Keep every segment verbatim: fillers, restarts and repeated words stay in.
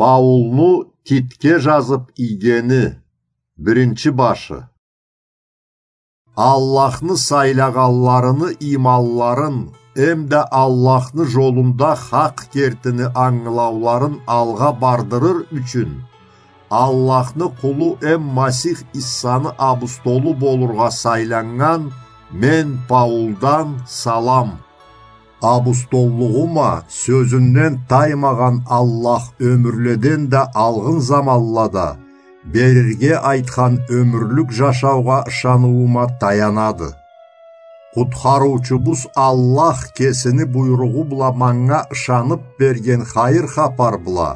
Паулну Титге жазып ийгени, биринчи башы. Аллахны сайлагъанларыны иманларын эмда Аллахны жолунда хакъ кертини ангылауларын алгъа бардырыр ючюн, Аллахны къулу эм Масих Иссаны абустолу болургъа сайланнган мен Паулдан салам. Абустоллугъума сёзюнден таймагъан Аллах ёмюрледен да алгъын заманлада берирге айтхан ёмюрлюк жашаугъа ышаныуума таянады. Къутхарыучубуз Аллах кесини буйругъу бла манга ышанып берген хайыр хапар бла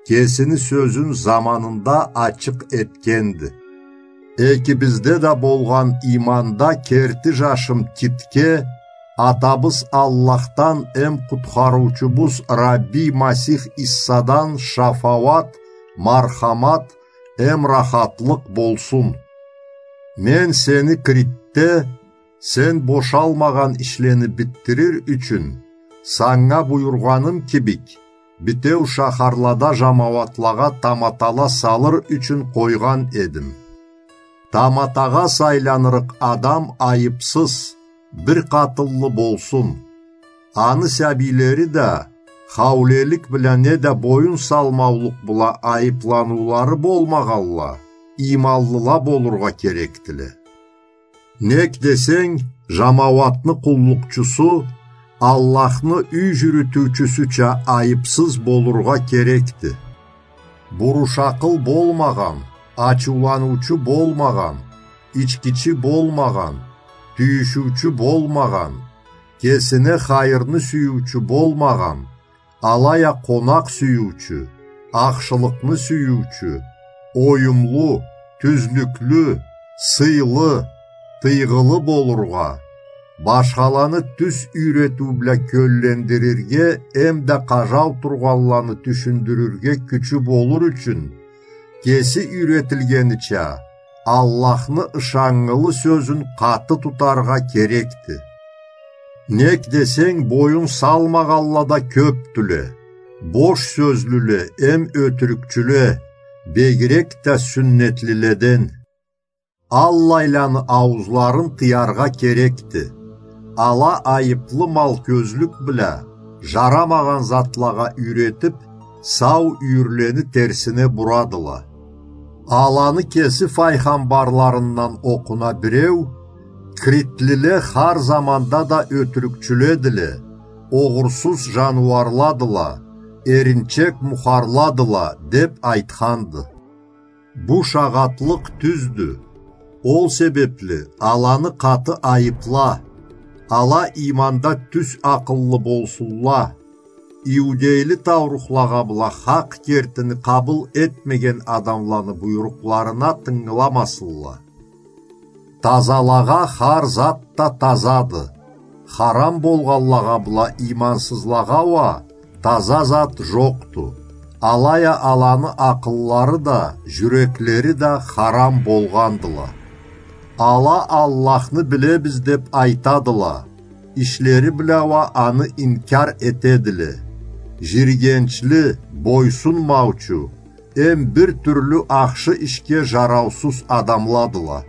кесини сёзюн заманында ачыкъ этгенди. Экибизде да болгъан иманда керти жашым Титге атабыз Аллахдан эм Къутхарыучубуз Рабби Масих Иссадан шафауат, мархамат эм рахатлыкъ болсун. Мен сени Критде сен бошалмагъан ишлени битдирир ючюн, санга буюргъаным кибик, битеу шахарлада жамауатлагъа таматала салыр ючюн къойгъан эдим. Таматагъа сайланырыкъ адам айыпсыз, бир къатынлы болсун. Аны сабийлери да хаулелик бла неда боюн салмаулукъ бла айыпланыулары болмагъанла, иманлыла болургъа керекдиле. Нек десенг, жамауатны къуллукъчусу Аллахны юй жюрютюучюсюча айыпсыз болургъа керекди. Бурушакъыл болмагъан, ачыуланыучу болмагъан, ичгичи болмагъан, тюйюшюучю болмагъан, кесине хайырны сюйюучю болмагъан, алай а къонакъ сюйюучю, ахшылыкъны сюйюучю, оюмлу, тюзлюклю, сыйлы, тыйгъылы болургъа, башхаланы тюз юйретиу бла кёллендирирге эмда къажау тургъанланы тюшюндюрюрге кючю болур ючюн, кеси юйретилгенича, Аллахны ышаннгылы сёзюн къаты тутаргъа керекди. Нек десенг, боюн салмагъанла да кёпдюле, бош сёзлюле эм ётюрюкчюле, бегирек да сюннетлиледен. Аллайланы ауузларын тыяргъа керекди. Ала айыплы малкёзлюк бла жарамагъан затлагъа юйретип, сау юйюрлени терсине бурадыла. Аланы кеси файгъамбарларындан окъуна биреу: «Критлиле хар заманда да ётюрюкчюледиле, огъурсуз жаныуарладыла, эринчек мухарладыла», — деп айтханды. Бу шагъатлыкъ тюздю. Ол себепли аланы къаты айыпла. Ала иманда тюз акъыллы болсунла. Иудейле таурухлагъа бла хакъ кертини къабыл этмеген адамланы буйрукъларына тынгыламасынла. Тазалагъа хар зат да тазады. Харам болгъанлагъа бла имансызлагъа уа таза зат жокъду. Алай а аланы акъыллары да, жюреклери да харам болгъандыла. Ала Аллахны билебиз деп айтадыла, ишлери бла уа аны инкар этедиле. Жиргенчли, бойсунмаучу, эм бир тюрлю ахшы ишге жараусуз адамладыла.